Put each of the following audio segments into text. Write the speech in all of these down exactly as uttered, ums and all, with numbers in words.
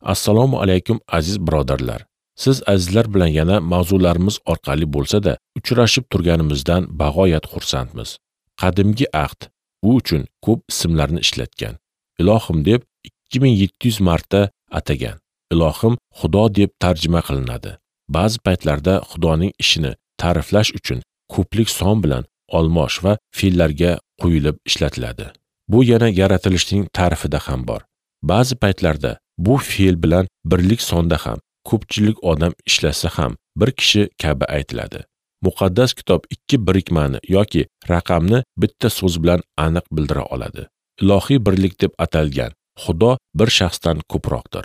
Assalomu alaykum aziz birodarlar. Siz azizlar bilan yana mavzularimiz orqali bo'lsa-da uchrashib turganimizdan bag'oyat xursandmiz. Qadimgi ahd u uchun ko'p ismlarni ishlatgan. Ilohim deb ikki ming yetti yuz marta atagan. Ilohim Xudo deb tarjima qilinadi. Ba'zi paytlarda Xudoning ishini ta'riflash uchun ko'plik son bilan olmosh va fe'llarga qo'yilib ishlatiladi. Bu yana yaratilishning ta'rifida ham bor. Ba'zi paytlarda bu fe'l bilan birlik sonda ham ko'pchilik odam ishlasa ham bir kishi kabi aytiladi. Muqaddas kitob ikki birikmani yoki raqamni bitta so'z bilan aniq bildira oladi. Ilohiy birlik deb atalgan Xudo bir shaxsdan ko'proqdir.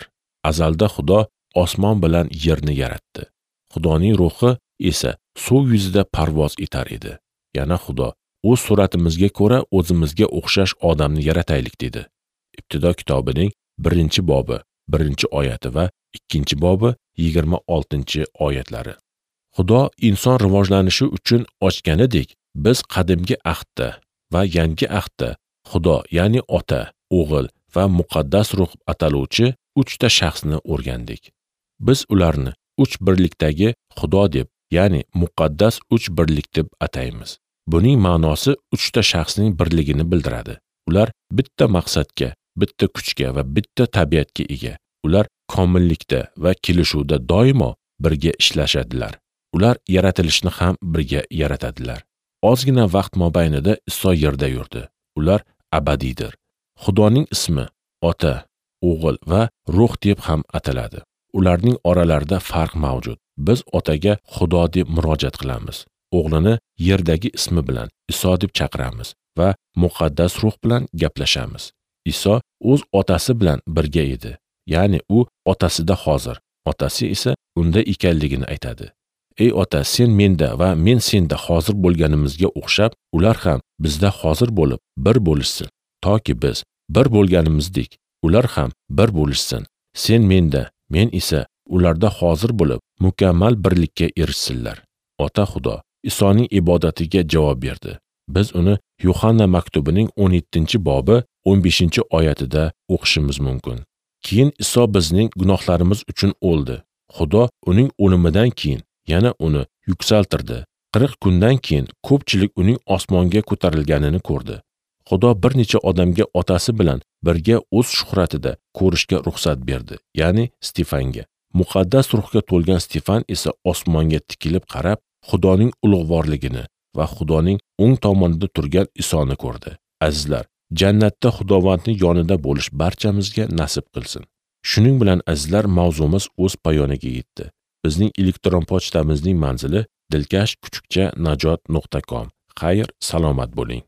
Azalda Xudo osmon bilan yerni yaratdi. Xudoning ruhi esa suv yuzida parvoz etar edi. Yana Xudo o'z suratimizga ko'ra o'zimizga o'xshash odamni yarataylik dedi. Ibtido kitobining birinchi bobi, birinchi oyati va ikkinchi bobi yigirma oltinchi oyatlari. Xudo inson rivojlanishi uchun ochganidek, biz qadimgi ahdda va yangi ahdda Xudo, ya'ni Ota, O'g'il va Muqaddas Ruh ataluvchi uchta shaxsni o'rgandik. Biz ularni uch birlikdagi Xudo deb, ya'ni muqaddas uch birlik deb ataymiz. Buning ma'nosi uchta shaxsning birligini bildiradi. Ular bitta maqsadga, bitta kuchga va bitta tabiatga ega. Ular komillikda va kelishuvda doimo birga ishlashadilar. Ular yaratilishni ham birga yaratadilar. Ozgina vaqt mobaynida Iso yerda yurdi. Ular abadiydir. Xudoning ismi Ota, O'g'il va Ruh deb ham ataladi. Ularning oralarida farq mavjud. Biz Otaga Xudo deb murojaat qilamiz. O'g'lini yerdagi ismi bilan Iso deb chaqiramiz va Muqaddas Ruh bilan gaplashamiz. Iso o'z otasi bilan birga edi. Ya'ni u otasida hozir, otasi esa unda ekanligini aytadi. Ey ota, sen menda va men senda hozir bo'lganimizga o'xshab, ular ham bizda hozir bo'lib bir bo'lishsin, toki biz bir bo'lganimizdek, ular ham bir bo'lishsin. Sen menda, men esa ularda hozir bo'lib mukammal birlikka erishsinlar. Ota Xudo Isoning ibodatiga javob berdi. Biz uni Yuhanna maktubining o'n yettinchi bobi o'n beshinchi oyatida o'qishimiz mumkin. Keyin Iso bizning gunohlarimiz uchun o'ldi. Xudo uning o'limidan keyin yana uni yuksaltirdi. qirq kundan keyin ko'pchilik uning osmonga ko'tarilganini ko'rdi. Xudo bir necha odamga otasi bilan birga o'z shuhratida ko'rishga ruxsat berdi, ya'ni Stefanga. Muqaddas ruhga to'lgan Stefan esa osmonga tikilib qarab, Xudoning ulug'vorligini va Xudoning o'ng tomonida turgan Isoni ko'rdi. Azizlar, jannatda Xudovandning yonida bo'lish barchamizga nasib qilsin. Shuning bilan azizlar, mavzumiz o'z poyoniga yetdi. Bizning elektron pochtamizning manzili dilkash kuchukcha najot nuqta com. Xayr, salomat bo'ling.